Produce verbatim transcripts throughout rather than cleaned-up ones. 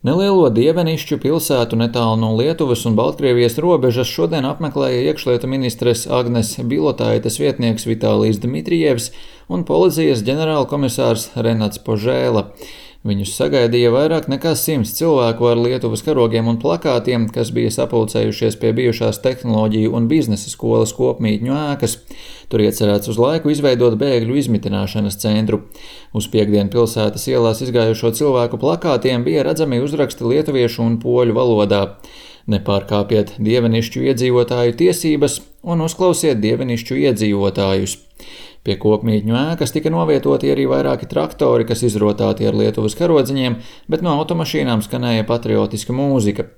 Nelielo Dievenišķu pilsētu netālu no Lietuvas un Baltkrievijas robežas šodien apmeklēja iekšlietu ministres Agnes Bilotaites vietnieks Vitālijs Dmitrijevs un policijas ģenerālkomisārs Renats Požēla. Viņus sagaidīja vairāk nekā simts cilvēku ar Lietuvas karogiem un plakātiem, kas bija sapulcējušies pie bijušās tehnoloģiju un biznesa skolas kopmītņu ēkas. Tur iecerēts uz laiku izveidot bēgļu izmitināšanas centru. Uz piekdienu pilsētas ielās izgājušo cilvēku plakātiem bija redzami uzraksti lietuviešu un poļu valodā. Nepārkāpiet Dievenišķu iedzīvotāju tiesības un uzklausiet Dievenišķu iedzīvotājus. Pie kopmītņu ēkas tika novietoti arī vairāki traktori, kas izrotāti ar Lietuvas karodziņiem, bet no automašīnām skanēja patriotiska mūzika.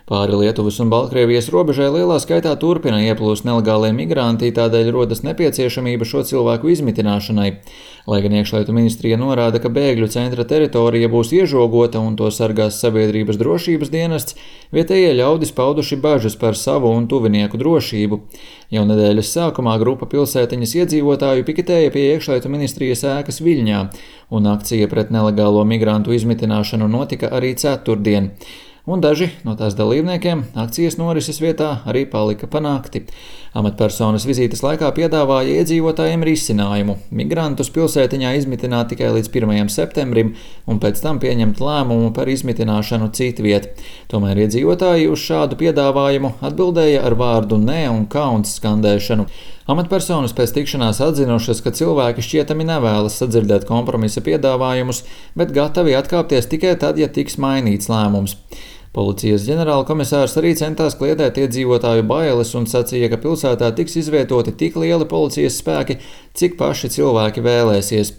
Pāri Lietuvas un Baltkrievijas robežai lielā skaitā turpina ieplūst nelegālie migranti, tādēļ rodas nepieciešamība šo cilvēku izmitināšanai. Lai gan iekšlietu ministrija norāda, ka bēgļu centra teritorija būs iežogota un to sargās sabiedrības drošības dienests, vietējie ļaudis pauduši bažas par savu un tuvinieku drošību. Jau nedēļas sākumā grupa pilsētiņas iedzīvotāju piketēja pie iekšlietu ministrijas ēkas Viļņā, un akcija pret nelegālo migrantu izmitināšanu notika arī ceturtdien. Un daži no tās dalībniekiem akcijas norises vietā arī palika pa nakti. Amatpersonas vizītes laikā piedāvāja iedzīvotājiem risinājumu – migrantus pilsētiņā izmitināt tikai līdz pirmajam septembrim un pēc tam pieņemt lēmumu par izmitināšanu citviet. Tomēr iedzīvotāji uz šādu piedāvājumu atbildēja ar vārdu nē un kauns skandēšanu. Amatpersonas pēc tikšanās atzinušas, ka cilvēki šķietami nevēlas sadzirdēt kompromisa piedāvājumus, bet gatavi atkāpties tikai tad, ja tiks mainīts lēmums. Policijas ģenerālkomisārs arī centās kliedēt iedzīvotāju bailes un sacīja, ka pilsētā tiks izvietoti tik lieli policijas spēki, cik paši cilvēki vēlēsies.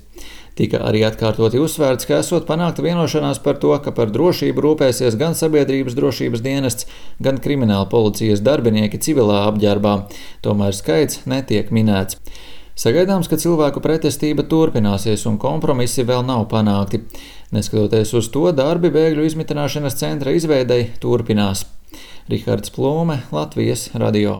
Tika arī atkārtoti uzsvērts, ka esot panākta vienošanās par to, ka par drošību rūpēsies gan sabiedrības drošības dienests, gan krimināla policijas darbinieki civilā apģērbā. Tomēr skaits netiek minēts. Sagaidāms, ka cilvēku pretestība turpināsies un kompromisi vēl nav panākti. Neskatoties uz to, darbi bēgļu izmitināšanas centra izveidei turpinās. Rihards Plūme, Latvijas radio.